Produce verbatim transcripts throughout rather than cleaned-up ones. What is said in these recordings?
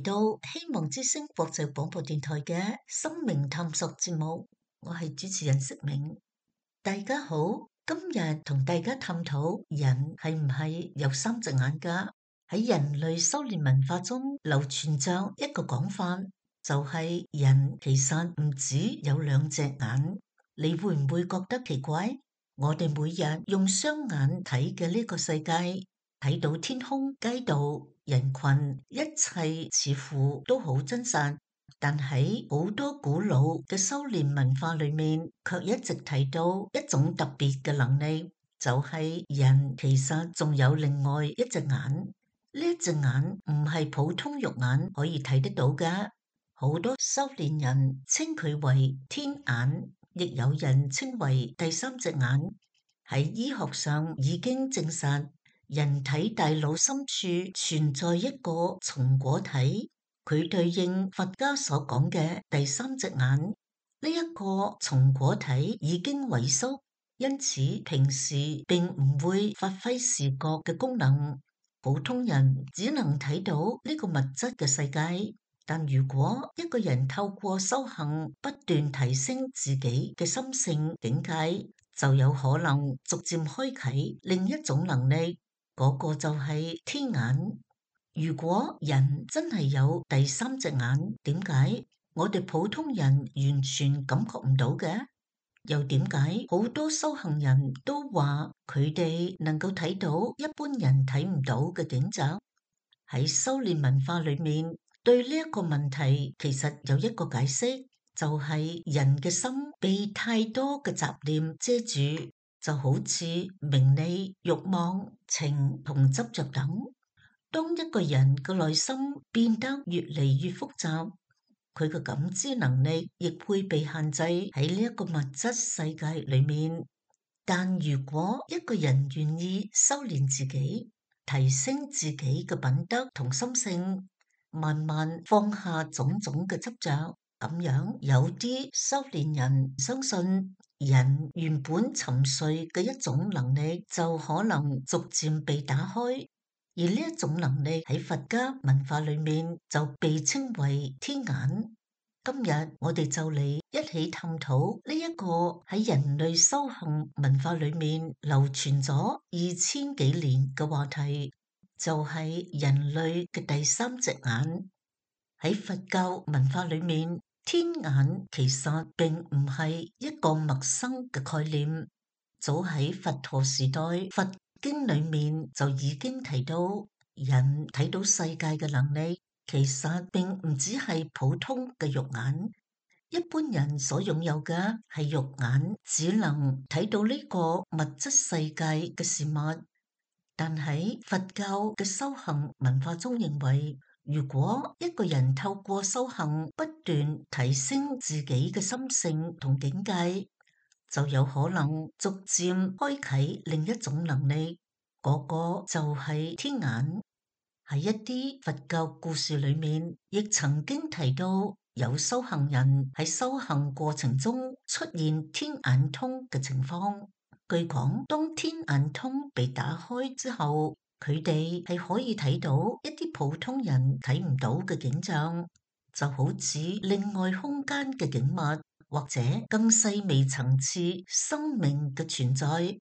嚟到希望之聲國際廣播電台嘅生命探索節目，我係主持人釋明。大家好，今日同大家探討人係唔係有三隻眼㗎？喺人類修煉文化中流傳着一個講法，就係人其實唔止有兩隻眼。你會唔會覺得奇怪？我哋每日用雙眼睇嘅呢個世界，睇到天空、街道、人群，一切似乎都好真實。但喺好多古老嘅修煉文化裏面，卻一直提到一種特別嘅能力，就係人其實仲有另外一隻眼。呢一隻眼唔係普通肉眼可以睇得到嘅，好多修煉人稱佢為天眼，亦有人稱為第三隻眼。喺醫學上已經證實，人體大腦深處存在一個松果體，佢對應佛家所講嘅第三隻眼。呢、這、一個松果體已經萎縮，因此平時並唔會發揮視覺嘅功能。普通人只能睇到呢個物質嘅世界，但如果一個人透過修行不斷提升自己嘅心性境界，就有可能逐漸開啟另一種能力，嗰個就係天眼。如果人真係有第三隻眼，點解我哋普通人完全感覺唔到嘅？又點解好多修行人都話佢哋能夠睇到一般人睇唔到嘅景象？喺修煉文化裏面，對呢一個問題其實有一個解釋，就係人嘅心被太多嘅雜念遮住，就好似名利、慾望、情同執着等。當一個人嘅內心變得越嚟越複雜，佢嘅感知能力亦會被限制喺呢一個物質世界裏面。但如果一個人願意修煉自己，提升自己嘅品德同心性，慢慢放下種種嘅執着，咁樣有啲修煉人相信，人原本沉睡嘅一種能力就可能逐漸被打開。而呢一種能力喺佛家文化裏面就被稱為天眼。今日我哋就嚟一起探討呢一個喺人類修行文化裏面流傳咗二千幾年嘅話題，就係人類嘅第三隻眼。喺佛教文化裏面，天眼其實並唔係一個陌生嘅概念，早喺佛陀時代，佛經裏面就已經提到，人睇到世界嘅能力其實並唔只係普通嘅肉眼。一般人所擁有嘅係肉眼，只能睇到呢個物質世界嘅事物。但喺佛教嘅修行文化中認為，如果一個人透過修行不斷提升自己嘅心性同境界，就有可能逐漸開啟另一種能力，嗰個就係天眼。喺一啲佛教故事裏面，亦曾經提到有修行人喺修行過程中出現天眼通嘅情況。據講，當天眼通被打開之後，佢哋係可以睇到一啲普通人睇唔到嘅景象，就好似另外空間嘅景物，或者更細微層次生命嘅存在。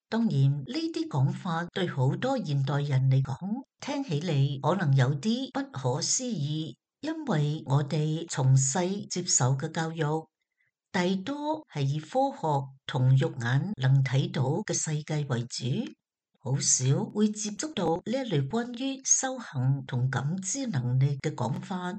當然，呢啲講法對好多現代人嚟講，聽起嚟可能有啲不可思議，因為我哋從細接受嘅教育，大多係以科學同肉眼能睇到嘅世界為主，好少會接觸到呢一類關於修行同感知能力嘅講法。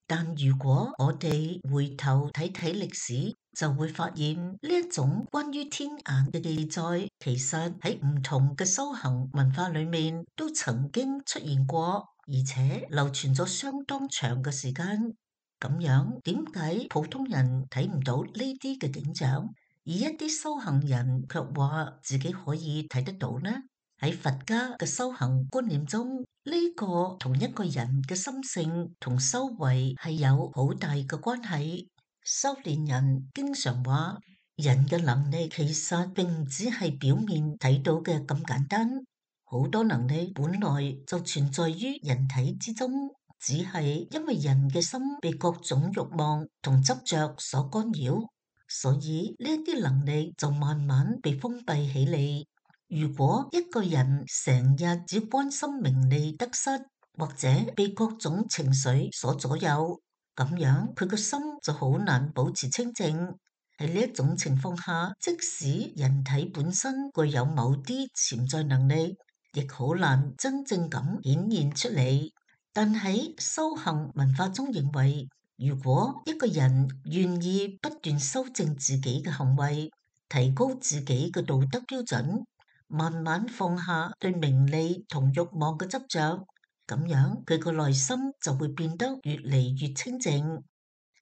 但如果我哋回頭睇睇歷史，就會發現呢一種關於天眼嘅記載，其實喺唔同嘅修行文化裏面都曾經出現過，而且流傳咗相當長嘅時間。咁樣點解普通人睇唔到呢啲嘅景象，而一啲修行人卻話自己可以睇得到呢？喺佛家嘅修行觀念中，呢個同一個人嘅心性同修為係有好大嘅關係。修煉人經常話，人嘅能力其實並唔只係表面睇到嘅咁簡單，好多能力本來就存在於人體之中。只係因為人嘅心被各種慾望同執着所干擾，所以呢啲能力就慢慢被封閉起嚟。如果一個人成日只關心名利得失，或者被各種情緒所左右，咁樣佢個心就好難保持清靜。喺呢一種情況下，即使人體本身具有某啲潛在能力，亦好難真正咁顯現出嚟。但喺修行文化中認為，如果一個人願意不斷修正自己嘅行為，提高自己嘅道德標準，慢慢放下對名利同慾望嘅執着，咁樣佢個內心就會變得越嚟越清靜。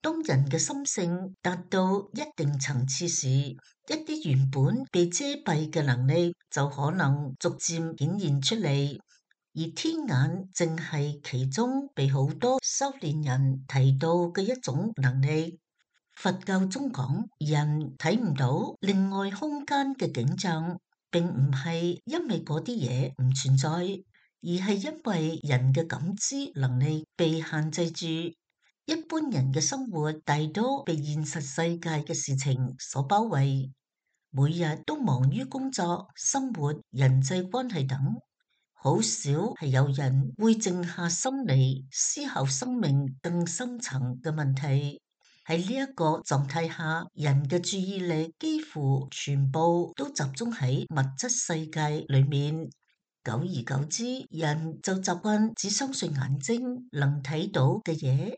當人嘅心性達到一定層次時，一啲原本被遮蔽嘅能力就可能逐漸顯現出嚟，而天眼正係其中被好多修煉人提到嘅一種能力。佛教中講，人睇唔到另外空間嘅景象，並唔係因為嗰啲嘢唔存在，而係因為人嘅感知能力被限制住。一般人嘅生活大多被現實世界嘅事情所包圍，每日都忙於工作、生活、人際關係等，好少係有人會靜下心嚟思考生命更深層嘅問題。喺呢一個狀態下，人嘅注意力幾乎全部都集中喺物質世界裏面，久而久之，人就習慣只相信眼睛能睇到嘅嘢。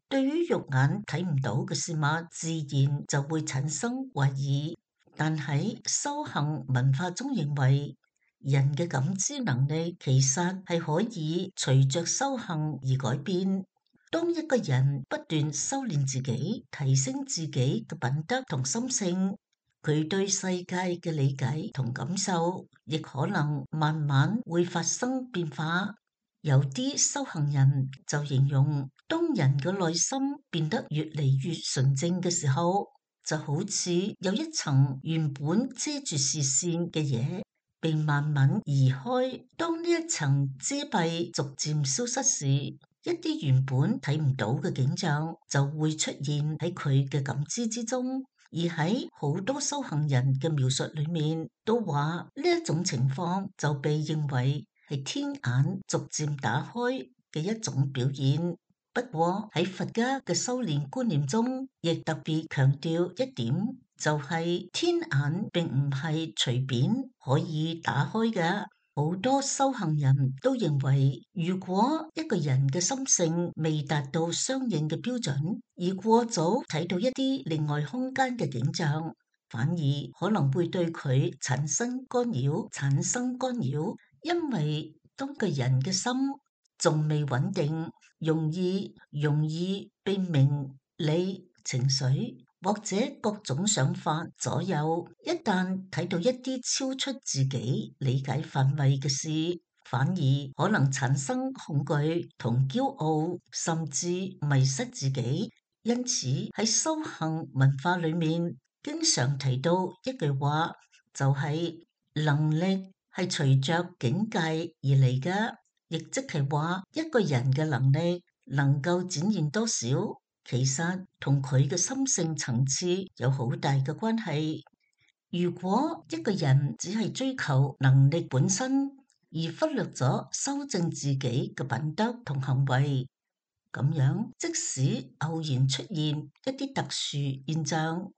對於肉眼睇唔到嘅事物，自然就會產生懷疑。但喺修行文化中認為，人嘅感知能力其實係可以隨着修行而改變。當一個人不斷修煉自己，提升自己嘅品德同心性，佢對世界嘅理解同感受，亦可能慢慢會發生變化。有啲修行人就形容，當人嘅內心變得越嚟越純正嘅時候，就好似有一層原本遮住視線嘅嘢被慢慢移開。當呢一層遮蔽逐漸消失時，一啲原本睇唔到嘅景象就會出現喺佢嘅感知之中。而喺好多修行人嘅描述裏面，都話呢一種情況就被認為係天眼逐漸打開嘅一種表現。不過喺佛家嘅修煉觀念中，亦特別強調一點，就係天眼並唔係隨便可以打開嘅。好多修行人都認為，如果一個人嘅心性未達到相應嘅標準，而過早睇到一啲另外空間嘅景象，反而可能會對佢產生干擾，產生干擾。因為當個人嘅心仲未穩定，容易容易被名利情緒或者各種想法左右。一旦睇到一啲超出自己理解範圍嘅事，反而可能產生恐懼同驕傲，甚至迷失自己。因此喺修行文化裏面，經常提到一句話，就係能力係隨着境界而嚟嘅，亦即係話一個人嘅能力能夠展現多少，其實同佢嘅心性層次有好大嘅關係。如果一個人只係追求能力本身，而忽略咗修正自己嘅品德同行為，咁樣即使偶然出現一啲特殊現象，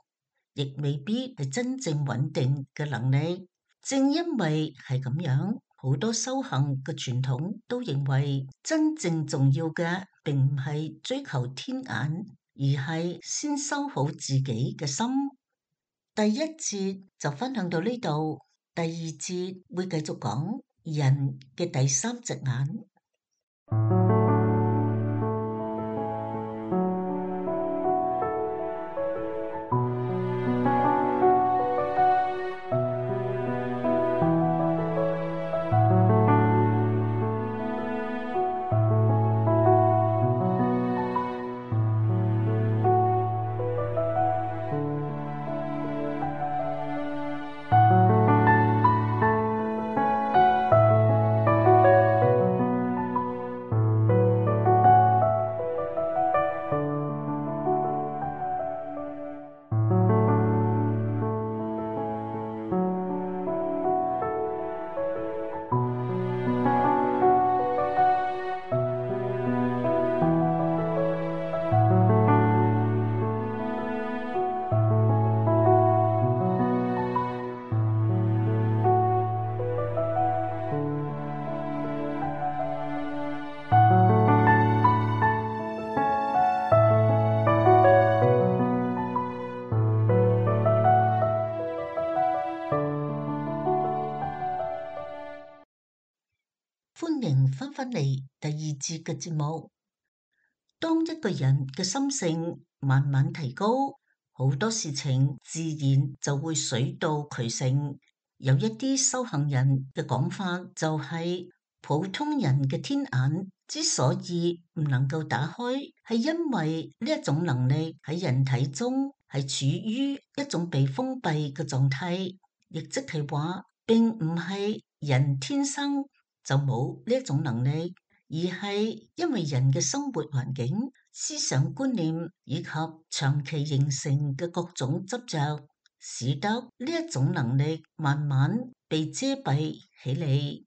亦未必係真正穩定嘅能力。正因為係咁樣，好多修行嘅傳統都認為，真正重要嘅並唔係追求天眼，而係先修好自己嘅心。第一節就分享到呢度，第二節會繼續講人嘅第三隻眼。返嚟第二節嘅節目。當一個人嘅心性慢慢提高，好多事情自然就會水到渠成。有一啲修行人嘅講法就係、是，普通人嘅天眼之所以唔能夠打開，係因為呢一種能力喺人體中係處於一種被封閉嘅狀態，亦即係話並唔係人天生就冇呢一種能力。而係因為人嘅生活環境、思想觀念以及長期形成嘅各種執着，使得呢一種能力慢慢被遮蔽起嚟。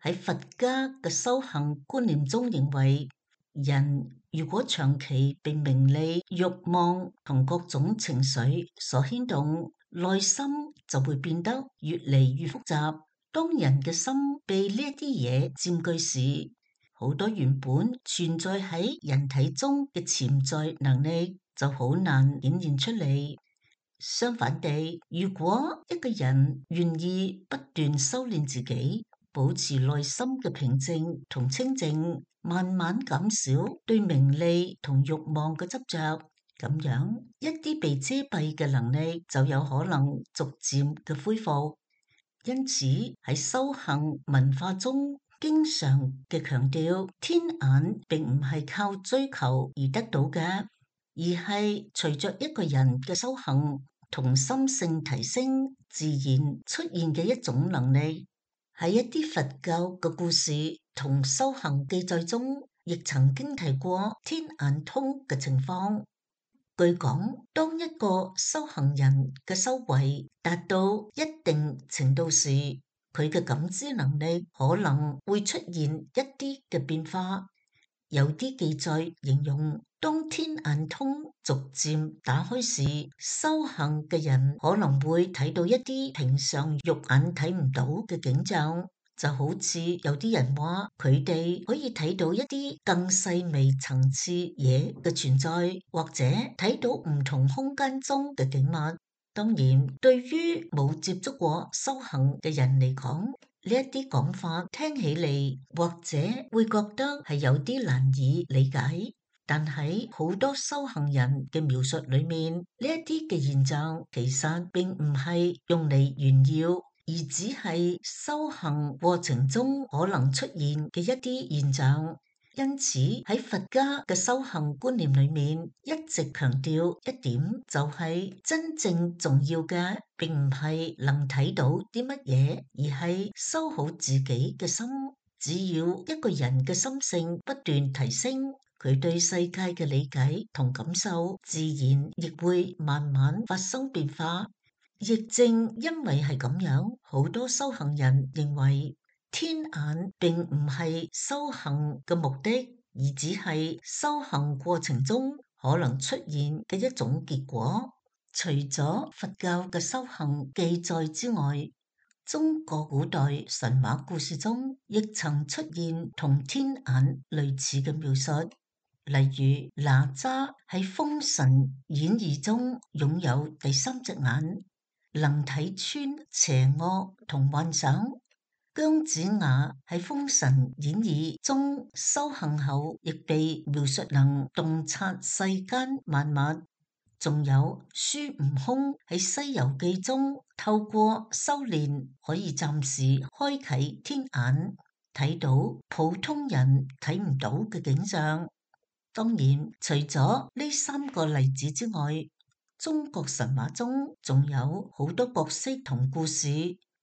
喺佛家嘅修行觀念中認為，人如果長期被名利、慾望同各種情緒所牽動，內心就會變得越嚟越複雜。當人嘅心被呢一啲嘢佔據時，好多原本存在喺人體中嘅潛在能力就好難顯現出嚟。相反地，如果一個人願意不斷修煉自己，保持內心嘅平靜同清靜，慢慢減少對名利同慾望嘅執着，咁樣一啲被遮蔽嘅能力就有可能逐漸嘅恢復。因此喺修行文化中，經常嘅強調，天眼並唔係靠追求而得到嘅，而係隨着一個人嘅修行同心性提升，自然出現嘅一種能力。喺一啲佛教嘅故事同修行記載中，亦曾經提過天眼通嘅情況。據講，當一個修行人嘅修為達到一定程度時，佢嘅感知能力可能會出現一啲嘅變化。有啲記載形容，當天眼通逐漸打開時，修行嘅人可能會睇到一啲平常肉眼睇唔到嘅景象。就好似有啲人話，佢哋可以睇到一啲更細微層次嘢嘅存在，或者睇到唔同空間中嘅景物。當然，對於冇接觸過修行嘅人嚟講，呢一啲講法聽起嚟或者會覺得係有啲難以理解。但喺好多修行人嘅描述裏面，呢一啲嘅現象其實並唔係用嚟炫耀，而只係修行過程中可能出現嘅一啲現象。因此喺佛家嘅修行觀念裏面，一直強調一點，就係真正重要嘅並唔係能睇到啲乜嘢，而係修好自己嘅心。只要一個人嘅心性不斷提升，佢對世界嘅理解同感受自然亦會慢慢發生變化。亦正因為係咁樣，好多修行人認為天眼並唔係修行嘅目的，而只係修行過程中可能出現嘅一種結果。除咗佛教嘅修行記載之外，中國古代神話故事中亦曾出現同天眼類似嘅描述。例如哪吒喺《封神演義》中擁有第三隻眼，能睇穿邪惡同幻想。姜子牙喺《封神演義》中修行後，亦被描述能洞察世間萬物。仲有孫悟空喺《西遊記》中透過修煉可以暫時開啟天眼，睇到普通人睇唔到嘅景象。當然，除咗呢三個例子之外，中國神話中仲有好多角色同故事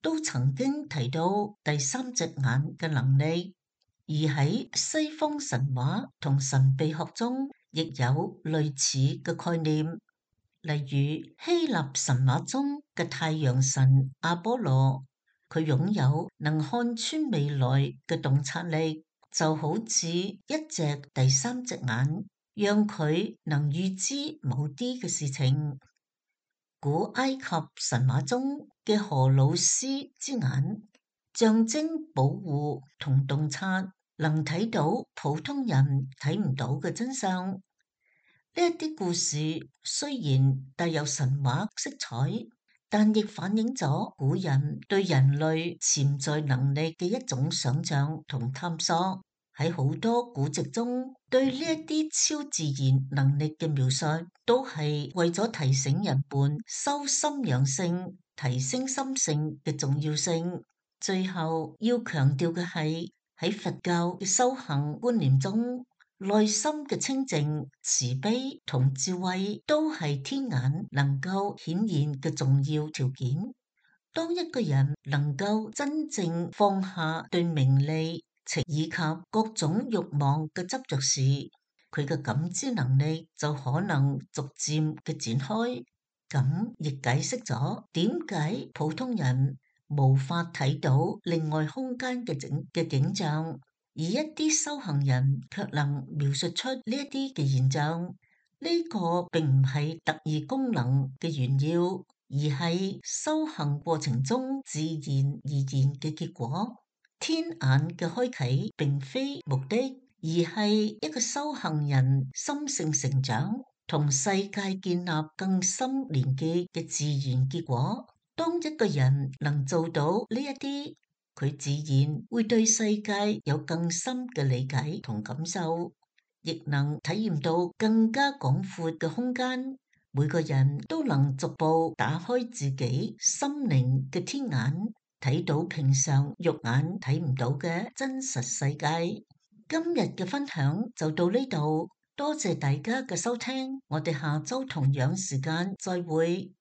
都曾經提到第三隻眼嘅能力，而喺西方神話同神秘學中亦有類似嘅概念。例如希臘神話中嘅太陽神阿波羅，佢擁有能看穿未來嘅洞察力，就好似一隻第三隻眼，讓佢能預知某啲嘅事情。古埃及神話中嘅荷魯斯之眼，象徵保護同洞察，能睇到普通人睇唔到嘅真相。呢一啲故事雖然帶有神話色彩，但亦反映咗古人對人類潛在能力嘅一種想象同探索。喺好多古籍中，對呢一啲超自然能力嘅描述，都係為咗提醒人們修心養性、提升心性嘅重要性。最後要強調嘅係，喺佛教嘅修行觀念中，內心嘅清淨、慈悲同智慧都係天眼能夠顯現嘅重要條件。當一個人能夠真正放下對名利、情以及各種慾望嘅執着時，佢嘅感知能力就可能逐漸嘅展開。咁亦解釋咗點解普通人無法睇到另外空間嘅景嘅景象，而一啲修行人卻能描述出呢一啲嘅現象。呢個並唔係特異功能嘅炫耀，而係修行過程中自然而然嘅結果。天眼嘅開啟並非目的，而係一個修行人心性成長同世界建立更深連結嘅自然結果。當一個人能做到呢一啲，佢自然會對世界有更深嘅理解同感受，亦能體驗到更加廣闊嘅空間。每個人都能逐步打開自己心靈嘅天眼，睇到平常肉眼睇唔到嘅真實世界。今日嘅分享就到呢度，多謝大家嘅收聽，我哋下周同樣時間再會。